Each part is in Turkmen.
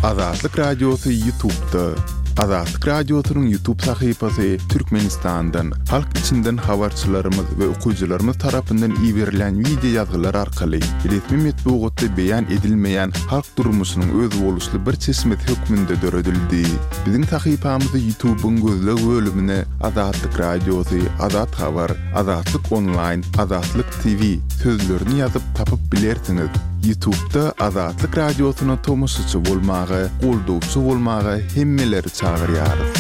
Azatlyk Radiosy Ýutubda. Azatlyk Radiosynyň Ýutub sahypasy Türkmenistandan, halk içinden habarçylarymyz we okyjylarymyz tarapyndan iberilýän wideo ýazgylar arkaly resmi metbugatda beýan edilmeýän halk durmuşynyň özboluşly bir çeşmesi hökmünde döredildi. Biziň sahypamyzy Ýutubyň gözleg bölümine Azatlyk Radiosy, Azat Habar, Azatlyk Onlaýn, Azatlyk TV sözlerini ýazyp tapyp bilersiňiz. Ýutubda Azatlyk Radiosyna tomaşaçy bolmaga, goldawçy bolmaga hemmeleri çagyrýarys.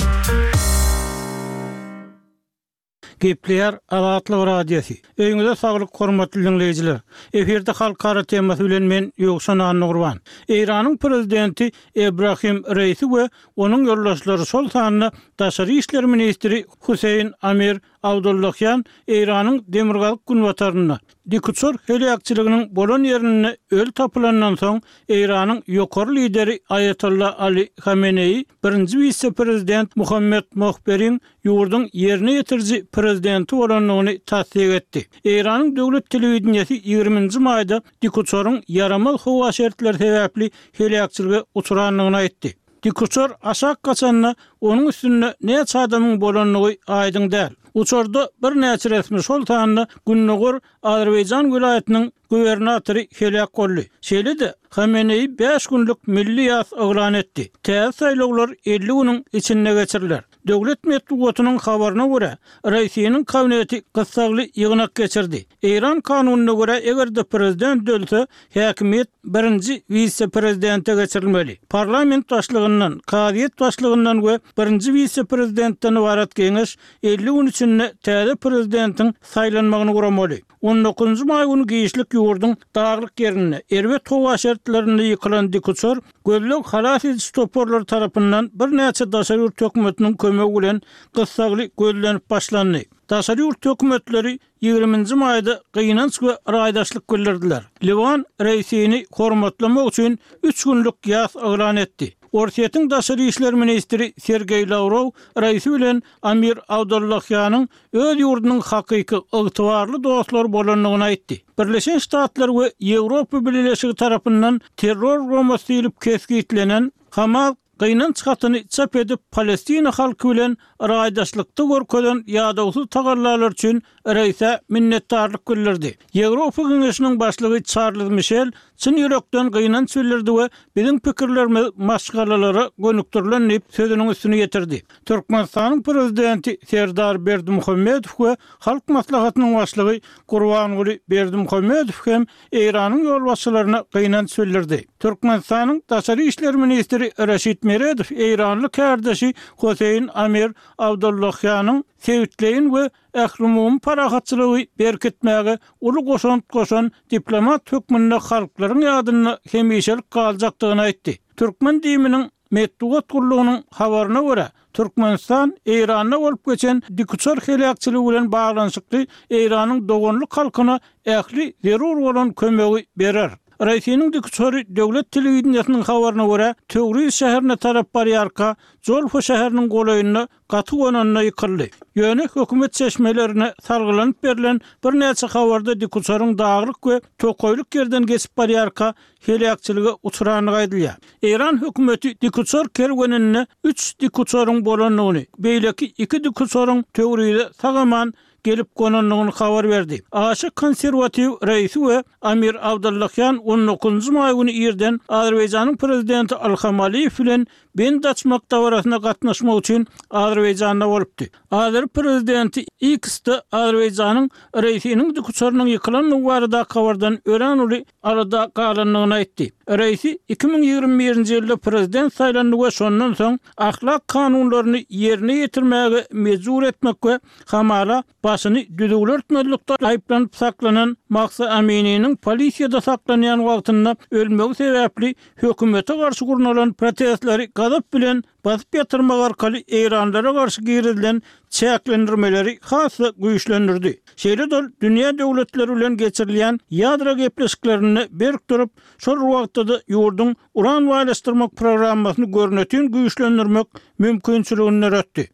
Gepleýär Azatlyk Radiosy. Öýüňize saglyk hormatly diňleýjiler. Efirde halkara temasy bilen men Ýowşan Annagurban. Eýranyň prezidenti Ebrahim Reisi we onuň ýoldaşlary şol sanda daşary işler ministri Huseýin Amir Abdullahian Eýranyň demirgazyk-günbatarynda dikuçar heläkçiliginiň bolan ýerinde öli tapylandan soň, Eýranyň ýokary lideri Aýatolla Ali Hameneýi birinji wise-prezident Muhammet Mohberiň ýurduň ýerine ýetiriji prezidenti bolandygyny tassyk etdi. Eýranyň döwlet telewideniýesi ýigriminji maýda dikuçaryň ýaramaz howa şertleri sebäpli heläkçilige uçrandygyny aýtdy. Dikuçar aşak gaçanda, onuň üstünde näçe adamyň bolandygy aýdyň däl. Uçarda birnäçe resmi, şol sanda Gündogar Azerbaýjan welaýatynyň gubernatory heläk boldy. Şeýle-de, Hameneýi bäş günlük milli ýas yglan etdi. Täze saýlawlar 50 günüň içinde geçiriler. Döwlet metbugatynyň habaryna görä, Raisiniň kabineti gyssagly ýygnak geçirdi. Eýran kanunyna görä, eger-de prezident ölse, häkimiýet birinji wise-prezidente geçirilmeli. Parlament başlygyndan, kazyýet başlygyndan we birinji wise-prezidentden ybarat geňeş 50 gün içinde täze prezidentiň saýlanmagyny guramaly. On dokuzynjy maý güni giçlik ýurduň daglyk ýerinde, erbet howa şertlerinde ýykylan dikuçar gözleg-halas ediş toparlary tarapyndan birnäçe daşary ýurt hökümetiniň kömegi bilen gyssagly gözlenip başlandy. Daşary ýurt hökümetleri ýigriminji maýda gynanç we raýdaşlyk bildirdiler. Liwan Reisini hormatlamak üçin üç günlük ýas yglan etdi. Orsýetiň daşary işler ministri Sergeý Lawrow Raisi bilen Amir Abdullahianyň öz ýurdunyň hakyky, ygtybarly dostlary bolandygyny aýtdy. Birleşen Ştatlar we Ýewropa Bileleşigi tarapyndan terror guramasy diýlip kesgitlenen Hamas gynanç hatyny çap edip, palestina halky bilen raýdaşlykda görkezen ýadawsyz tagallalary üçin Reisä minnetdarlyk bildirdi. Ýewropa Geňeşiniň başlygy Çarlz Mişel çyn ýürekden gynanç bildirdi we biziň pikirlerimiz maşgalalara gönükdirilen diýip, sözüniň üstüni ýetirdi. Türkmenistanyň Prezidenti Serdar Berdimuhamedow we Halk Maslahatynyň Başlygy Gurbanguly Berdimuhamedow hem Eýranyň ýolbaşçylaryna gynanç bildirdi. Türkmenistanyň Daşary işler ministri Reşit Meredow eýranly kärdeşi Hoseýn Amir Abdollahianyň sebitleýin we ählumumy parahatçylygy berkitmäge uly goşant goşan diplomat hökmünde halklaryň ýadynda hemişelik galjakdygyny aýtdy. Türkmen DIM-niň Metbugat gullugynyň habaryna görä, Türkmenistan Eýranda bolup geçen dikuçar heläkçiligi bilen baglanyşykly Eýranyň doganlyk halkyna ähli zerur bolan kömegi berer. Raisiniň dikuçary döwlet telewideniýesiniň habaryna görä, Töwriz şäherine tarap barýarka, Jolfa şäheriniň golaýynda gaty gonanda ýykyldy. Ýöne hökümet çeşmelerine salgylanyp berlen birnäçe habarda dikuçaryň daglyk we tokaýlyk ýerden geçip barýarka heläkçilige uçrandygy aýdylýar. Eýran hökümeti dikuçar kerweninde üç dikuçaryň bolandygyny, beýleki iki dikuçaryň Töwrize sag-aman gelip gonandygyny habar berdi. Aşa konserwatiw Reisi we Amir Abdullahian on dokuzynjy maý güni irden Azerbaýjanyň prezidenti Ilham Aliýew bilen bent açmak dabarasyna gatnaşmak üçin Azerbaýjanda bolupdy. Azeri prezidenti X-de Azerbaýjanyň Reisiniň dikuçarynyň ýykylandygy baradaky habardan örän uly alada galandygyny aýtdy. Reisi 2021-nji ýylda prezident saýlandy we şondan soň ahlak kanunlaryny ýerine ýetirmäge mejbur etmek we hamala başyny düzüwli örtmezlikde aýyplanyp saklanan Mahsa Amininiň polisiýada saklanýan wagtynda ölmegi sebäpli hökümete garşy gurnalan protestleri gazap bilen basyp ýatyrmak arkaly eýranlylara garşy girizilen çäklendirmeleri has-da güýçlendirdi. Şeýle-de ol dünýä döwletleri bilen geçirilýän ýadro gepleşiklerinde berk durup, şol bir wagtda-da ýurduň uran baýlaşdyrmak programmasyny görnetin güýçlendirmek mümkinçiligini döretdi.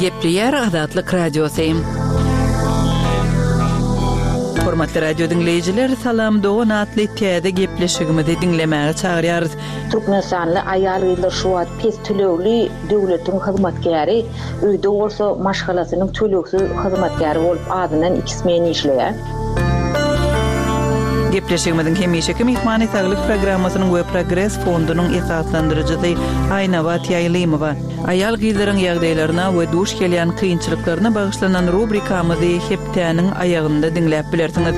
Gepleýär Azatlyk Radiosy. Hormatly radio diňleýjiler, Salam dogan atly täze gepleşigimizi diňlemäge çagyrýarys. Türkmenistanly aýal-gyzlar şu wagt pes tölegli döwletiň hyzmatkäri, öýde bolsa maşgalasynyň tölegsiz hyzmatkäri bolup azyndan iki smen işleýär. Gepleşigimiziň hemişeki myhmany Saglyk programmasynyň we Progres fondunyň esaslandyryjysy Aýnabat Ýaýlymowa. Aýal-gyzlaryň ýagdaýlaryna we duş gelýän kynçylyklaryna bagyşlanan rubrikamyzy hepdäniň aýagynda diňläp bilersiňiz.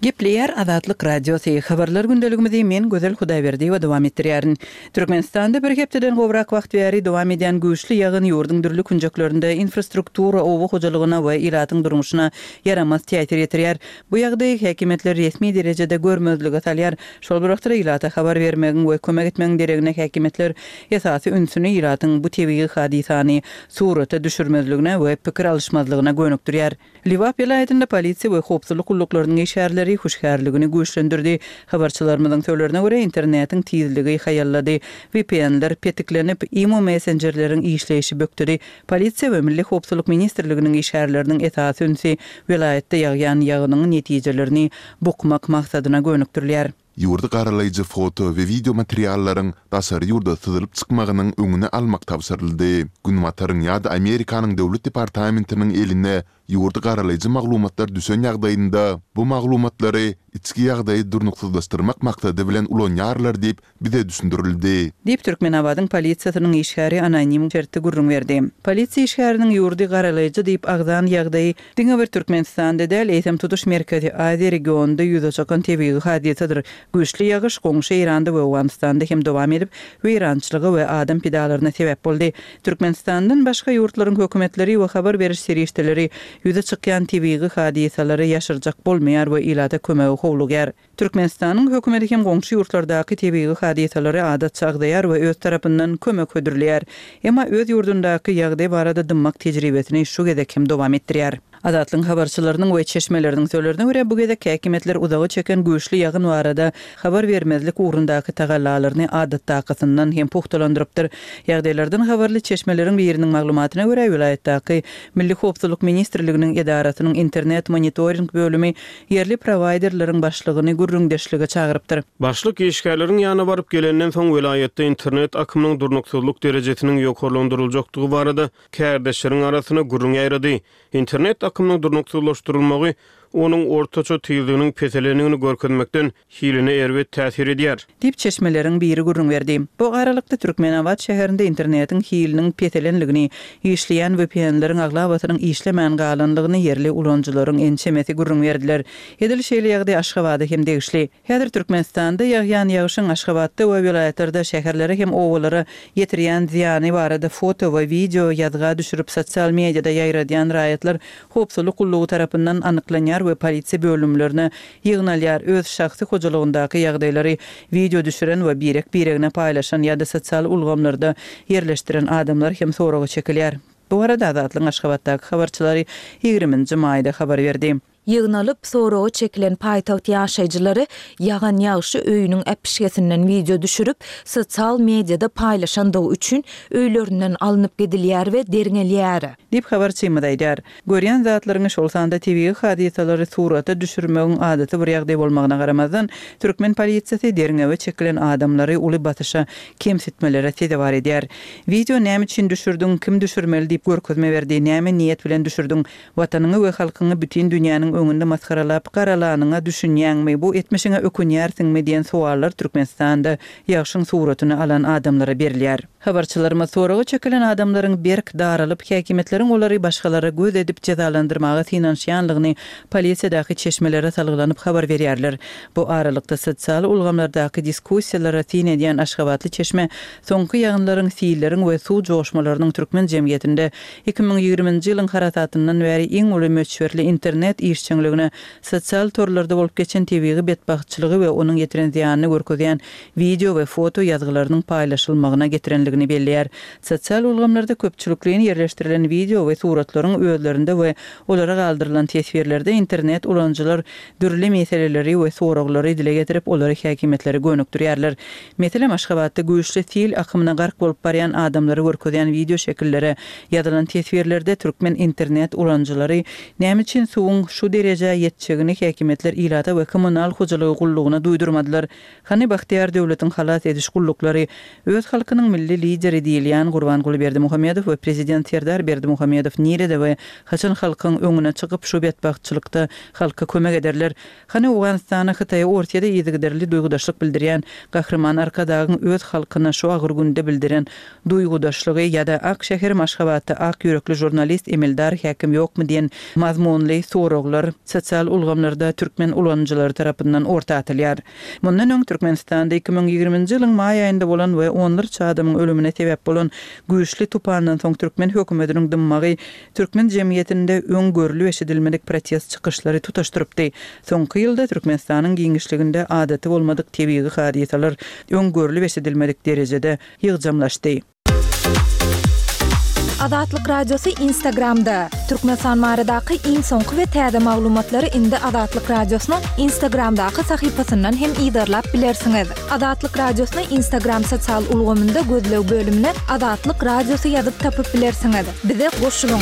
Gepleýär Azatlyk Radiosy, Habarlar gündeligimizi men Gözel Hudaýberdiýewa dowam etdirýärin. Türkmenistanda bir hepdeden gowrak wagt bäri dowam edýän güýçli ýagyn ýurduň dürli künjeklerinde infrastruktura, oba hojalygyna we ilatyň durmuşyna ýaramaz täsir ýetirýär. Bu ýagdaýy häkimiýetler resmi derejede görmezlige salýar. Şol bir wagtda ilata habar bermegiň we kömek etmegiň deregine häkimiýetler esasy ünsüni ilatyň bu tebigy hadysany surata düşürmezligine we pikir alyşmazlygyna gönükdirýär. Lebap welaýatynda polisiýa we howpsuzlyk gulluklarynyň işgärleri hüşgärligini güýçlendirdi. Habarçylarymyzyň sözlerine görä, internetiň tizligi haýallady, VPN-ler petiklenip, imo messenjerleriň işleýşi bökdedi. Polisiýa we Milli howpsuzlyk ministrliginiň işgärleriniň esasy ünsi welaýatda ýagýan ýagynyň netijelerini bukmak maksadyna gönükdirilýär. Ýurdy garalaýjy foto we wideo materiallaryň daşary ýurda syzylyp çykmagynyň öňüni almak tabşyryldy. Günbataryň ýa-da Amerikanyň Döwlet departamentiniň eline ýurdy garalaýjy maglumatlar düşen ýagdaýynda, bu maglumatlary içki ýagdaýy durnuksyzlaşdyrmak maksady bilen ulanýarlar diýip, bize düşündirildi. Diýip, Türkmenabadyň polisiýasynyň işgäri anonim şertde gürrüň berdi. Polisiýa işgäriniň ýurdy garalaýjy diýip agzan ýagdaýy diňe bir Türkmenistanda däl, eýsem tutuş Merkezi Aziýa regionynda ýüze çykan tebigy hadysadyr. Güýçli ýagyş goňşy Eýranda we Owganystanda hem dowam edip, weýrançylyga we adam pidalaryna sebäp boldy. Türkmenistandan başga ýurtlaryň hökümetleri we habar beriş serişdeleri ýüze çykýan tebigy hadysalary ýaşyrjak bolmaýar we ilata kömege howlugýar. Türkmenistanyň hökümeti hem goňşy ýurtlardaky tebigy hadysalary adatça agzaýar we öz tarapyndan kömek hödürleýär. Emma öz ýurdundaky ýagdaý barada dymmak tejribesini şu gezek hem dowam etdirýär. Azatlygyň habarçylarynyň we çeşmeleriniň sözlerine görä, bu gezek häkimiýetler uzaga çeken güýçli ýagyn barada habar bermezlik ugrundaky tagallalaryny adatdakysyndan hem pugtalandyrypdyr. Ýagdaýlardan habarly çeşmeleriň biriniň maglumatyna görä, welaýatdaky Milli howpsuzlyk ministrliginiň edarasynyň internet monitoring bölümi ýerli prowaýderleriň başlygyny gürrüňdeşlige çagyrypdyr. Başlyk işgärleriň ýanyna baryp gelenden soň, welaýatda internet akymynyň durnuksyzlyk derejesiniň ýokarlandyryljakdygy barada kärdeşleriň arasynda gürrüň ýaýrady. Internet akymynyň durnuksyzlaşdyrylmagy onuň ortaça tizliginiň peselendigini görkezmekden hiline erbet täsir edýär. Diýip, çeşmeleriň biri gürrüň berdi. Bu aralykda, Türkmenabat şäherinde internetiň hiliniň peselenligini, işleýän VPN-leriň aglabasynyň işlemän galanlygyny ýerli ulanyjylaryň ençemesi gürrüň berdiler. Edil şeýle ýagdaý Aşgabada hem degişli. Häzir Türkmenistanda ýagýan ýagşyň Aşgabatda we welaýatlarda şäherlere hem obalara ýetirýän zyýany barada foto we wideo ýazga düşürip sosial mediada ýaýradýan raýatlar howpsuzlyk gullugy tarapyndan anyklanýar we polisiýa bölümlerine ýygnalýar, öz şahsy hojalygyndaky ýagdaýlary wideo düşüren we birek-biregine paýlaşan ýa-da sosial ulgamlarda ýerleşdiren adamlar hem soraga çekilýär. Bu barada Azatlygyň Aşgabatdaky habarçylary ýigriminji maýda habar berdi. Ýygnalyp, soraga çekilen paýtagt ýaşaýjylary ýagan ýagşy öýüniň äpişgesinden wideo düşürip, sosial mediada paýlaşandygy üçin öýlerinden alnyp gidilýär we derňelýär. Diýip, habarçymyz aýdýar. Görýän zatlaryňy, şol sanda tebigy hadysalary surata düşürmegiň adaty bir ýagdaý bolmagyna garamazdan, türkmen polisiýasy derňewe çekilen adamlary uly basyşa, kemsitmelere sezewar edýär. Wideo näme üçin düşürdiň, kim düşürmeli diýip görkezme berdi, näme niýet bilen düşürdiň, Watanyňy we halkyňy bütin dünýäniň öňünde masgaralap, garalanyňa düşünýäňmi, bu etmişiňe ökünýärsiňmi diýen sowallar Türkmenistanda ýagşyň suratyny alan adamlara berilýär. Habarçylarymyz soraga çekilen adamlaryň berk daralyp, häkimiýetleriň olary başgalara göz edip jezalandyrmaga synanyşýanlygyny polisiýadaky çeşmelere salgylanyp habar berýärler. Bu aralykda, sosial ulgamlardaky diskussiýalara syn edýän aşgabatly çeşme soňky ýagynlaryň, silleriň we suw joşmalarynyň türkmen jemgyýetinde 2020-nji ýylyň harasatyndan bäri iň uly möçberli internet işjeňligini. işjeňligine sosial torlarda bolup geçen tebigy betbagtçylygy we onuň ýetiren zyýanyny görkezýän wideo we foto ýazgylarynyň paýlaşylmagyna getirenligini belleýär. Sosial ulgamlarda köpçülikleýin ýerleşdirilen wideo we suratlaryň özlerinde we olara galdyrylan teswirlerde internet ulanyjylar dürli meseleleri we soraglary dile getirip, olary häkimiýetlere gönükdirýärler. Meselem, Aşgabatda güýçli sil akymyna gark bolup barýan adamlary görkezýän wideo şekillere ýazylan teswirlerde türkmen internet ulanyjylary näme üçin suwuň şu derejä ýetjegini häkimiýetler ilata we kommunal hojalygy gullugyna duýdurmadylar? Hany bagtyýar döwletiň halas ediş gulluklary? Öz halkynyň milli lideri diýilýän Gurbanguly Berdimuhamedow we prezident Serdar Berdimuhamedow nirede we haçan halkyň öňüne çykyp şu betbagtçylykda halka kömek ederler? Hany Owganystana, Hytaýa, Orsýede yzygiderli duýgudaşlyk bildirýän Gahryman Arkadagyň öz halkyna şu agyr günde bildiren duýgudaşlygy ýa-da Ak şäherim Aşgabatda ak ýürekli žurnalist, emeldar, häkim ýokmy diýen mazmunly soraglar sosial ulgamlarda türkmen ulanyjylary tarapyndan orta atylýar. Mundan öň Türkmenistanda 2020-nji ýylyň maý aýynda bolan we onlarça adamyň ölümine sebäp bolan güýçli tupandan soň türkmen hökümetiniň dymmagy türkmen jemgyýetinde öň görlüp-eşidilmedik protest çykyşlary tutaşdyrypdy. Soňky ýylda Türkmenistanyň giňişliginde adaty bolmadyk tebigy hadysalar öň görlüp-eşidilmedik derejede ýygjamlaşdy. Azatlyk Radiosy Instagramda, Türkmenistan baradaky iň soňky we täze maglumatlary indi Azatlyk Radiosynyň Instagramdaky sahypasyndan hem yzarlap bilersiňiz. Azatlyk Radiosyny Instagram sosial ulgamynda gözleg bölümine Azatlyk Radiosy ýazyp tapyp bilersiňiz. Bize goşulyň!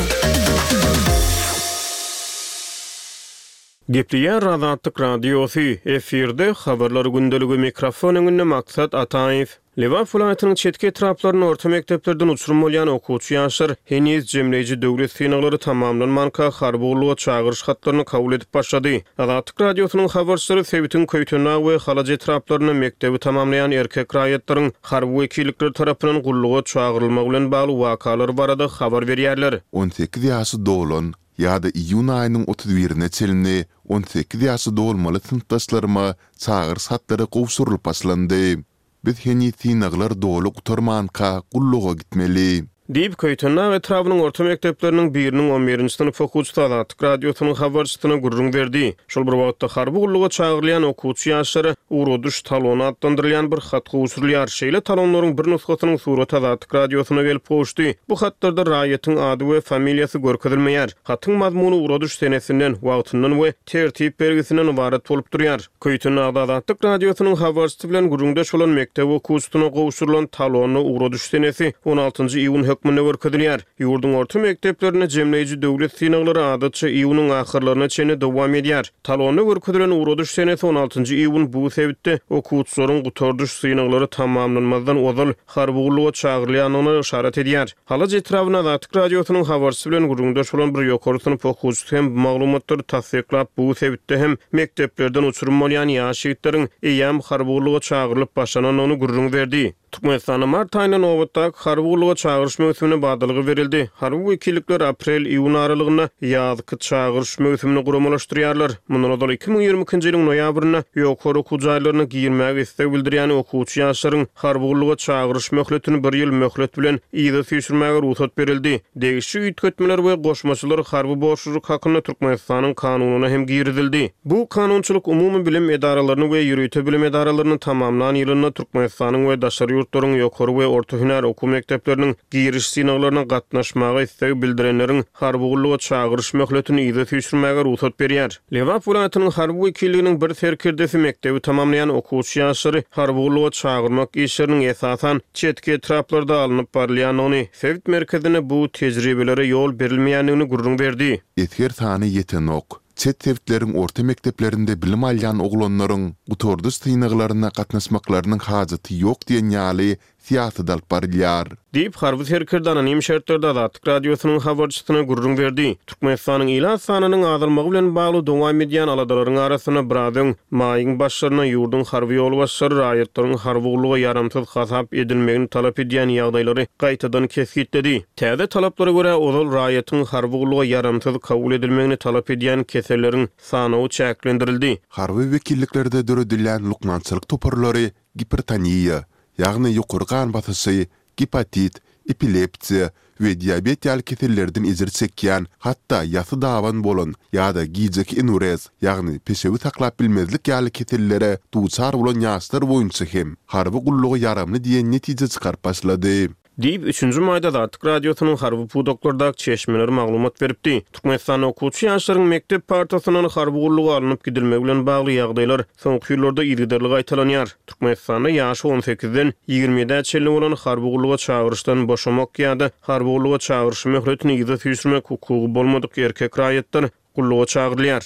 Gepleýär Azatlyk Radiosy, efirde Habarlar gündeligi, mikrofon öňünde Maksat Ataýew. Lebap welaýatynyň çetki etraplarynda orta mekdeplerden uçurym bolýan okuwçy ýaşlar heniz jemleýji döwlet synaglary tamamlanmanka harby gulluga çagyryş hatlaryny kabul edip başlady. Azatlyk Radiosynyň habarçylary sebitiň Köýtendag we Halaç etraplarynda mekdebi tamamlaýan erkek raýatlaryň harby wekillikler tarapyndan gulluga çagyrylmagy bilen bagly wakalar barada habar berýärler. 18 ýaşy dolan ýa-da iýun aýynyň 31-ine çenli 18 ýaşy dolmaly synpdaşlaryma çagyryş hatlary gowşurylyp başlandy. Biz heniz synaglar doly gutarmanka gulluga gitmeli. Diýip, Köýtendag etrabynyň orta mekdepleriniň biriniň on birinji synp okuwçysy Azatlyk Radiosynyň habarçysyna gürrüň berdi. Şol bir wagtda, harby gulluga çagyrylýan okuwçy ýaşlara ugradyş talony atlandyrylýan bir hat gowşurylýar. Şeýle talonlaryň bir nusgasynyň suraty Azatlyk Radiosyna gelip gowuşdy. Bu hatlarda raýatyň ady we familiýasy görkezilmeýär. Hatyň mazmuny ugradyş senesinden, wagtyndan we tertip belgisinden ybarat bolup durýar. Köýtendagda Azatlyk Radiosynyň habarçysy bilen gürrüňdeş bolan mekdep okuwçysyna gowşurylan talonda ugradyş senesi on altynjy iýun hökmünde görkezilýär. Ýurduň orta mekdeplerinde jemleýji döwlet synaglary adatça iýunyň ahyrlaryna çenli dowam edýär. Talonda görkezilen ugradyş senesi on altynjy iýun bu sebitde okuwçylaryň gutardyş synaglary tamamlanmazdan ozal harby gulluga çagyrylýandygyna yşarat edýär. Halaç etrabynda Azatlyk Radiosynyň habarçysy bilen gürrüňdeş bolan bir ýokary synp okuwçysy hem bu maglumatlary tassyklap, bu sebitde hem mekdeplerden uçurym bolýan ýaş ýigitleriň eýýäm harby gulluga çagyrylyp başlanandygyny gürrüň berdi. Türkmenistanda mart aýynda nobatdaky harby gulluga çagyryş möwsümine badalga berildi. Harby wekillikler aprel-iýun aralygynda ýazky çagyryş möwsümini guramalaşdyrýarlar. Mundan ozal 2022-nji ýylyň noýabrynda ýokary okuw jaýlaryna girmäge isleg bildirýän okuwçy ýaşlaryň Harby gulluga çagyryş möhletini bir ýyl möhlet bilen yza süýşürmäge rugsat berildi. Degişli üýtgetmeler we goşmaçalar harby borçlulyk hakynda Türkmenistanyň Kanunyna hem girizildi. Bu kanunçylyk umumy bilim edaralaryny we ýörite bilim edaralaryny tamamlan ýylynda Türkmenistanyň we daşary ýurtlaryň ýokary we orta hünär okuw mekdepleriniň giriş synaglaryna gatnaşmaga isleg bildirenleriň harby gulluga çagyryş möhletini yza süýşürmäge rugsat berýär. Lebap welaýatynyň harby wekilliginiň bir serkerdesi mekdebi tamamlaýan okuwçy ýaşlary harby gulluga çagyrmak işleriniň esasan çetki etraplarda alnyp barylýandygyny, sebit merkezinde bu tejribelere ýol berilmeýändigini gürrüň berdi. Esger sany ýetenok. Çet sebitleriň orta mekdeplerinde bilim alýan oglanlaryň gutardyş synaglaryna gatnaşmaklarynyň hajaty ýok diýen ýaly syýasat alyp barylýar. Diýip, harby serkerde anonim şertlerde Azatlyk Radiosynyň habarçysyna gürrüň berdi. Türkmenistanyň ilat sanynyň azalmagy bilen bagly dowam edýän aladalaryň arasynda biraz öň, maýyň başlarynda ýurduň harby ýolbaşçylary raýatlaryň harby gulluga ýaramsyz hasap edilmegini talap edýän ýagdaýlary gaýtadan kesgitledi. Täze talaplara görä, ozal raýatyň harby gulluga ýaramsyz kabul edilmegini talap edýän keselleriň sanawy çäklendirildi. Harby wekilliklerde döredilýän lukmançylyk toparlary gipertoniýa, ýagny ýokary gan basyşy, gepatit, epilepsiýa we diabet ýaly kesellerden ejir çekýän, hatda ýasy daban bolan ýa-da gijeki enurez, ýagny peşewi saklap bilmezlik ýaly kesellere duçar bolan ýaşlar boýunça hem harby gulluga ýaramly diýen netije çykaryp başlady. Diýip, üçünji maýda Azatlyk Radiosynyň harby pudaklardaky çeşmeleri maglumat beripdi. Türkmenistanda okuwçy ýaşlaryň mekdep partasyndan harby gulluga alnyp gidilmegi bilen bagly ýagdaýlar soňky ýyllarda yzygiderli gaýtalanýar. Türkmenistanda ýaşy on sekizden 20 ýedä çenli bolan harby gulluga çagyryşdan boşamak ýa-da harby gulluga çagyryş möhletini yza süýşürmek hukugy bolmadyk erkek raýatlar gulluga çagyrylýar.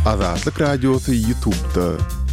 Azatlyk Radiosy YouTube'da.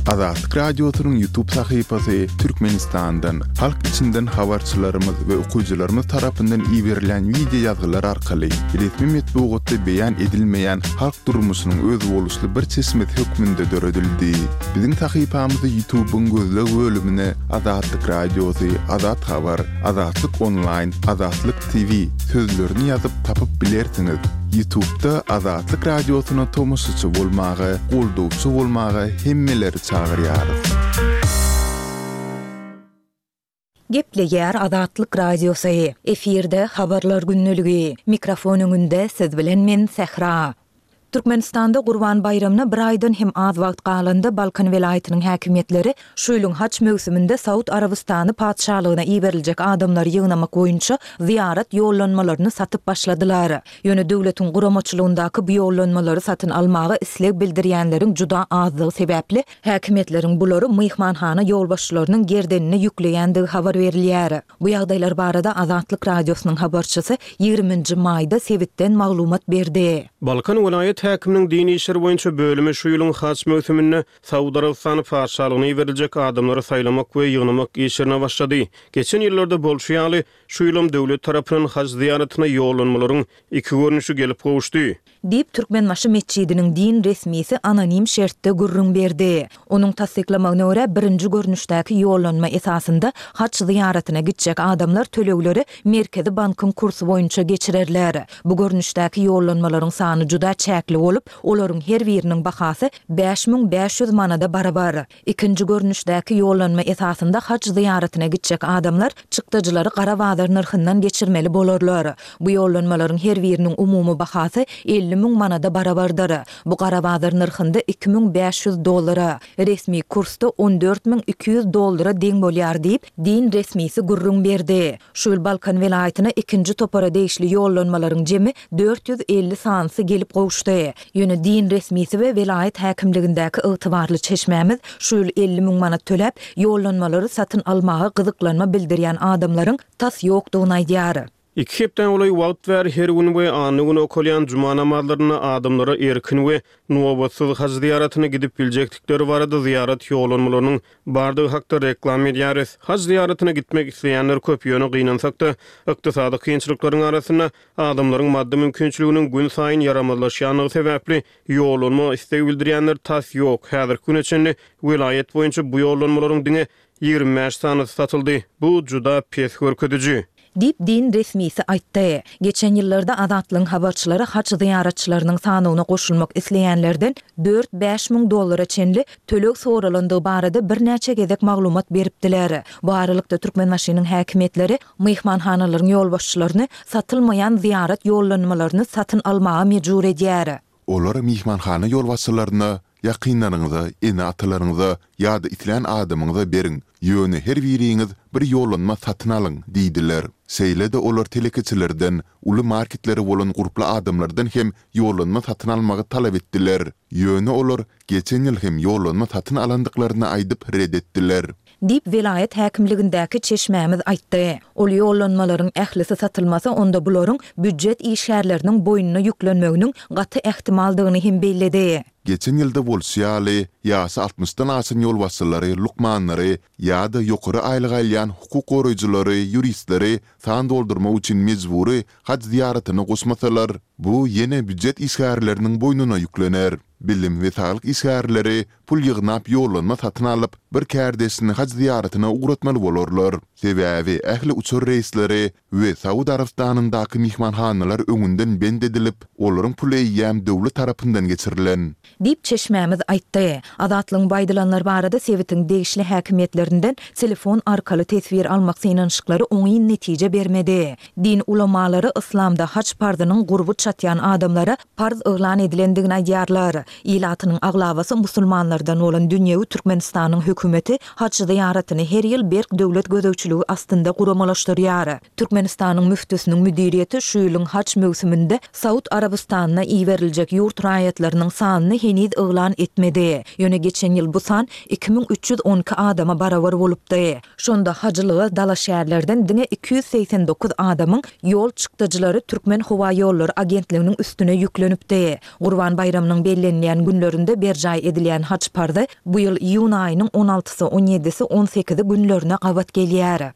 Azatlyk Radiosynyň YouTube sahypasy Türkmenistandan, halk içinden habarçylarymyz we okyjylarymyz tarapyndan iberilen wideo ýazgylar arkaly resmi metbugatda beýan edilmeýän halk durmuşynyň özboluşly bir çeşmesi hökmünde döredildi. Biziň sahypamyzy YouTube'yň gözleg bölümine Azatlyk Radiosy, Azat Habar, Azatlyk Onlaýn, Azatlyk TV sözlerini ýazyp tapyp bilersiňiz. Ýutubda Azatlyk Radiosyna tomaşaçy bolmaga, goldawçy bolmaga hemmeleri çagyrýarys. Gepleýär Azatlyk Radiosy, efirde Habarlar gündeligi, mikrofon öňünde siz bilen men Sähra. Türkmenistanda Gurban baýramyna bir aýdan hem az wagt galanda Balkan welaýatynyň häkimiýetleri şu ýylyň haç möwsüminde Saud Arabystany Patyşalygyna iberiljek adamlary ýygnamak boýunça zyýarat ýollanmalaryny satyp başladylar. Ýöne döwletiň guramaçylygyndaky bu ýollanmalary satyn almaga isleg bildirýänleriň juda azdygy sebäpli, häkimiýetleriň bulary myhmanhana ýolbaşçylarynyň gerdenine ýükleýändigi habar berilýär. Bu ýagdaýlar barada Azatlyk Radiosynyň habarçysy ýigriminji maýda sebitden maglumat berdi. Balkan welaýat häkiminiň din işleri boýunça bölümi şu ýylyň haj möwsüminde Saud Arabystany Patyşalygyna iberiljek adamlary saýlamak we ýygnamak işlerine başlady. Geçen ýyllarda bolşy ýaly, şu ýylam döwlet tarapyndan haj zyýaratyna ýollanmalaryň iki görnüşi gelip gowuşdy. Diýip, Türkmenbaşy metjidiniň din resmisi anonim şertde gürrüň berdi. Onuň tassyklamagyna görä, birinji görnüşdäki ýollanma esasynda haç zyýaratyna gitjek adamlar tölegleri Merkezi bankyň kursy boýunça geçirerler. Bu görnüşdäki ýollanmalaryň sany juda çäkli bolup, olaryň her biriniň bahasy 5500 manada barabar. Ikinji görnüşdäki ýollanma esasynda haj zyýaratyna gitjek adamlar çykdajylary gara bazar nyrhyndan geçirmeli bolarlar. Bu ýollanmalaryň her biriniň umumy bahasy 50 müň manada barabardyr. Bu gara bazar nyrhynda 2500 dollara, resmi kursda 14 200 dollara deň bolýar diýip, din resmisi gürrüň berdi. Şu ýyl Balkan welaýatyna ikinji topara degişli ýollanmalaryň jemi 450 sanysy gelip gowuşdy. Ýöne din resmisi we welaýat häkimligindäki ygtybarly çeşmämiz şu ýyl 50 müň manat töläp, ýollanmalary satyn almaga gyzyklanma bildirýän adamlaryň tas ýokdugyny aýdýar. Iki hepdä golaý wagt bäri her gün we anna güni okalýan juma namazlarynda adamlara erkin we nobatsyz haj zyýaratyna gidip biljekdikleri barada zyýarat ýollanmalarynyň bardygy hakda reklama edýäris. Haj zyýaratyna gitmek isleýänler köp, ýöne gynansak-da, ykdysady kynçylyklaryň arasynda adamlaryň maddy mümkinçiliginiň günsaýyn ýaramazlaşýandygy sebäpli ýollanma isleg bildirýänler tas ýok. Häzirki güne çenli welaýat boýunça bu ýollanmalaryň diňe 25 sanysy satyldy. Bu juda pes görkeziji. Diýip, din resmisi aýtdy. Geçen ýyllarda Azatlygyň habarçylary haj zyýaratçylarynyň sanawyna goşulmak isleýänlerden dört-bäş müň dollara çenli töleg soralandygy barada birnäçe gezek maglumat beripdiler. Bu aralykda, Türkmenbaşynyň häkimiýetleri myhmanhanalaryň ýolbaşçylaryny satylmaýan zyýarat ýollanmalaryny satyn almaga mejbur edýär. Olar myhmanhana ýolbaşçylaryna, ýakynlaryňyza, ene-atalaryňyza ýa-da islän adamyňyza beriň, ýöne her biriňiz bir ýollanma satyn alyň diýdiler. Şeýle-de olar telekeçilerden, uly marketleri bolan gurply adamlardan hem ýollanma satyn almagy talap etdiler. Ýöne olar geçen ýyl hem ýollanma satyn alandyklaryny aýdyp ret etdiler. Diýip, welaýat häkimligindäki çeşmämiz aýtdy. Ol ýollanmalaryň ählisi satylmasa, onda bularyň býujet işgärleriniň boýnuna ýüklenmeginiň gaty ähtimaldygyny hem belledi. Geçen ýylda bolşy ýaly, ýaşy altmyşdan aşan ýolbaşçylary, lukmanlary ýa-da ýokary aýlyk alýan hukuk goraýjylary, ýuristleri san doldurmak üçin mejbury haj zyýaratyna goşmasalar, bu ýene býujet işgärleriniň boýnuna ýüklener. Bilim we saglyk işgärleri pul ýygnap ýollanma satyn alyp, bir kärdeşini haj zyýaratyna ugratmaly bolarlar. Sebäbi ähli uçar reýsleri we Saud Arabystanyndaky myhmanhanalar öňünden bent edilip, olaryň puly eýýäm döwlet tarapyndan geçirilen. Diýip, çeşmämiz aýtdy. Azatlygyň bu aýdylanlar barada sebitiň degişli häkimiýetlerinden telefon arkaly teswir almak synanyşyklary oňyn netije bermedi. Din ulamalary yslamda haj parzynyň gurby çatýan adamlara parz yglan edilendigini aýdýarlar. Ilatynyň aglabasy musulmanlardan bolan dünýewi Türkmenistanyň hökümeti haj zyýaratyny her ýyl berk döwlet gözegçiligi astynda guramalaşdyrýar. Türkmenistanyň müftüsiniň müdiriýeti şu ýylyň haj möwsüminde Saud Arabystanyna iberiljek ýurt raýatlarynyň sanyny heniz yglan etmedi. Ýöne geçen ýyl bu san 2312 adama barabar bolupdy. Şonda hajylyga dalaşgärlerden diňe 289 adamyň ýol çykdajylary Türkmenhowaýollary agentliginiň üstüne ýüklenipdi. Gurban baýramynyň bellenilýän günlerinde berjaý edilýän haj parzy bu ýyl iýun aýynyň on altysy, on ýedisi, on sekizi günlerine gabat gelýär.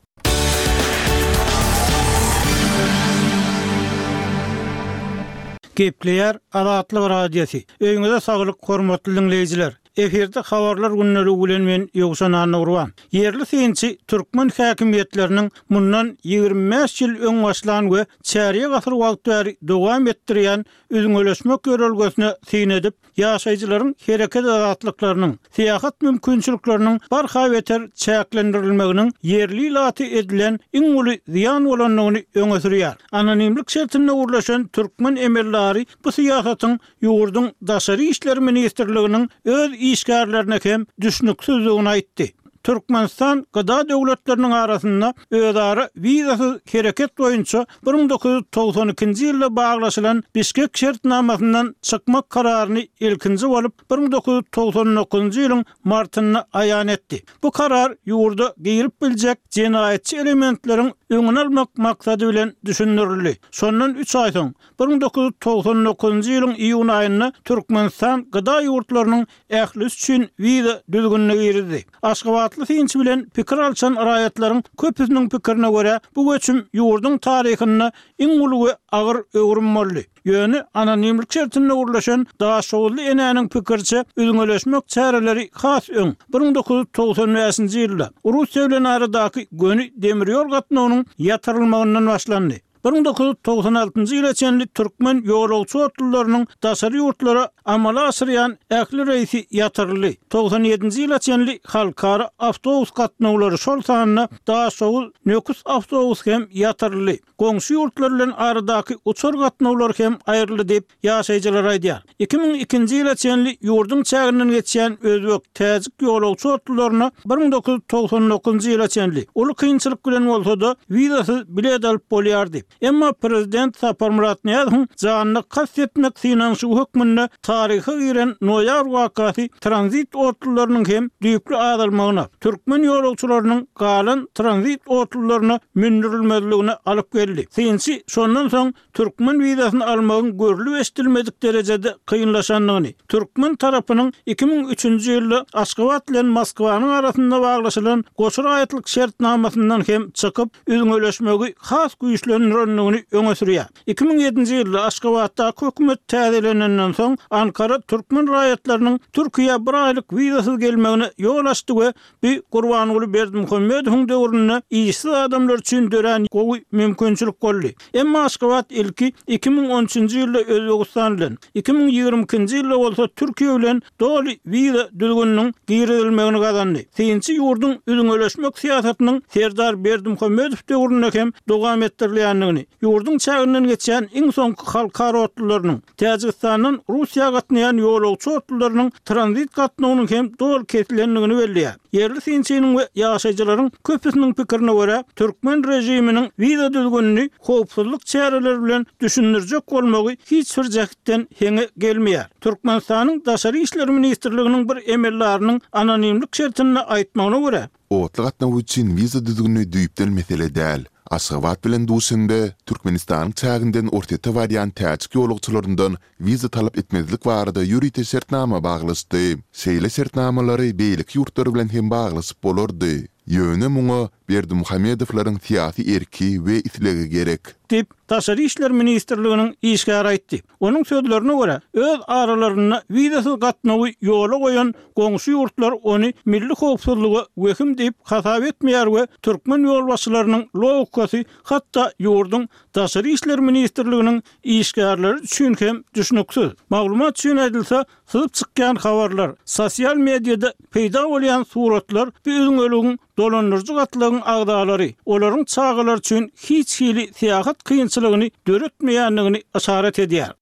Gepleýär Azatlyk Radiosy. Öýüňize saglyk hormatly diňleýjiler. Efirde habarlar gündeligi bilen men Ýowşan Annagurban. Ýerli synçy türkmen häkimiýetleriniň mundan 25 ýyl öň başlan we çärýek asyr wagt bäri dowam etdirýän üzňeleşmek ýörelgesine syn edip, ýaşaýjylaryň hereket azatlyklarynyň, syýahat mümkinçilikleriniň barha beter çäklendirilmeginiň ýerli ilata edilen iň uly zyýan bolandygyny öňe sürýär. Anonimlik şertinde gürleşen türkmen emeldary bu syýasatyň ýurduň Daşary işler ministrliginiň öz işgärlerine hem düşnüksizdigini aýtdy. Türkmenistan GDA döwletleriniň arasynda özara wizasyz hereket boýunça 1992-nji ýylda baglaşylan Bişkek şertnamasyndan çykmak kararyny ilkinji bolup 1999-njy ýylyň martynda aýan etdi. Bu karar ýurda girip biljek jenaýatçy elementleriň öňüni almak maksady bilen düşündirildi. Şondan üç aý soň, 1999-njy ýylyň iýun aýynda Türkmenistan GDA ýurtlarynyň ählisi üçin wiza düzgünini girizdi. Aşgabatly synçy bilen pikir alşan raýatlaryň köpüsiniň pikirine görä, bu göçüm ýurduň taryhynda iň uly we agyr öwrüm boldy. Ýöne anonimlik şertinde gürleşen daşoguzly enäniň pikiriçe, üzňeleşmek çäreleri has öň, 1995-nji ýylda, Russiýa bilen aradaky göni demir ýol gatnawynyň ýatyrylmagyndan başlandy. 1996-njy ýyla çenli türkmen ýolagçy otlularynyň daşary ýurtlara amala aşyrýan ähli reýsi ýatyryldy. Togsan ýedinji ýyla çenli halkara awtobus gatnawlary, şol sanda Daşoguz, Nöküs awtobusy hem ýatyryldy. Goňşy ýurtlar bilen aradaky uçar gatnawlary hem aýryldy diýip, ýaşaýjylar aýdýar. 2002-nji ýyla çenli ýurduň çäginden geçýän özbek, täjik ýolagçy otlularyna 1999-njy ýyla çenli, uly kynçylyk bilen bolsa-da, wizasyz bilet alyp bolýardy. Emma prezident Saparmyrat Nyýazowyň janyna kast etmek synanyşygy hökmünde taryha giren noýabr wakasy tranzit otlularynyň hem düýpli azalmagyna, türkmen ýolagçylarynyň galan tranzit otlularyna mündürilmezligine alyp geldi. Synçy şondan soň türkmen wizasyny almagyň görlüp-eşidilmedik derejede kynlaşandygyny, türkmen tarapynyň 2003-nji ýylda Aşgabat bilen Moskwanyň arasynda baglaşylan goşa raýatlyk şertnamasyndan hem çykyp, üzňeleşmegi has güýçlendirendigini öňe sürýär. 2007-nji ýylda Aşgabatdaky hökümet täzelenenden soň, Ankara türkmen raýatlarynyň Türkiýä bir aýlyk wizasyz gelmegine ýol açdy we Bu Gurbanguly Berdimuhamedowyň döwründe işsiz adamlar üçin dörän gowy mümkinçilik boldy. Emma Aşgabat ilki 2013-nji ýylda Özbegistan bilen, 2022-nji ýylda bolsa Türkiýe bilen doly wiza düzgüniniň girizilmegini gazandy. Synçy ýurduň üzňeleşmek syýasatynyň Serdar Berdimuhamedow döwründe hem dowam etdirilýändigini, ýurduň çäginden geçýän iň soňky halkara otlularynyň, Täjigistandan Russiýa gatnaýan ýolagçy otlularynyň tranzit gatnawynyň hem doly kesilendigini belleýär. Ýerli synçynyň we ýaşaýjylaryň köpüsiniň pikirine görä, türkmen režiminiň wiza düzgünini howpsuzlyk çäreleri bilen düşündirjek bolmagy hiç bir jähtden heňe gelmeýär. Türkmenistanyň Daşary işler ministrliginiň bir emeldarynyň anonimlik şertinde aýtmagyna görä, Otly gatnawy üçin wiza düzgüni düýpden mesele däl. Aşgabat bilen Duşenbe Türkmenistanyň çäginden Orsýete barýan täjik ýolagçylaryndan wiza talap etmezlik barada ýörite şertnama baglaşdy. Şeýle şertnamalary beýleki ýurtlar bilen hem baglaşyp bolardy. Ýöne muňa. Berdimuhamedowlaryň syýasy erki we islegi gerek. Diýip, Daşary işler ministrliginiň işgäri aýtdy. Onuň sözlerine görä, öz aralarynda wizasyz gatnawy ýola goýan goňşy ýurtlar ony milli howpsuzlyga wehim diýip hasap etmeýär we türkmen ýolbaşçylarynyň logikasy hatda ýurduň Daşary işler ministrliginiň işgärleri üçin hem düşnüksiz. Maglumat üçin aýdylsa, syzyp çykýan habarlar, sosial mediada peýda bolýan suratlar bu üzňeligiň dolandyryjy gatlagyň agzalary, olaryň çagalary üçin hiç hili syýahat kynçylygyny döretmeýändigini yşarat edýär.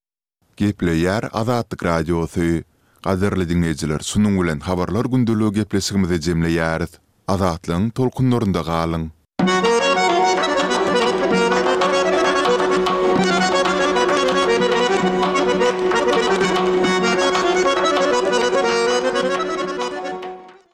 Gepleýär Azatlyk Radiosy. Gadyrly diňleýjiler şunuň bilen Habarlar gündeligi gepleşigimizi jemleýäris. Azatlygyň tolkunlarynda galyň!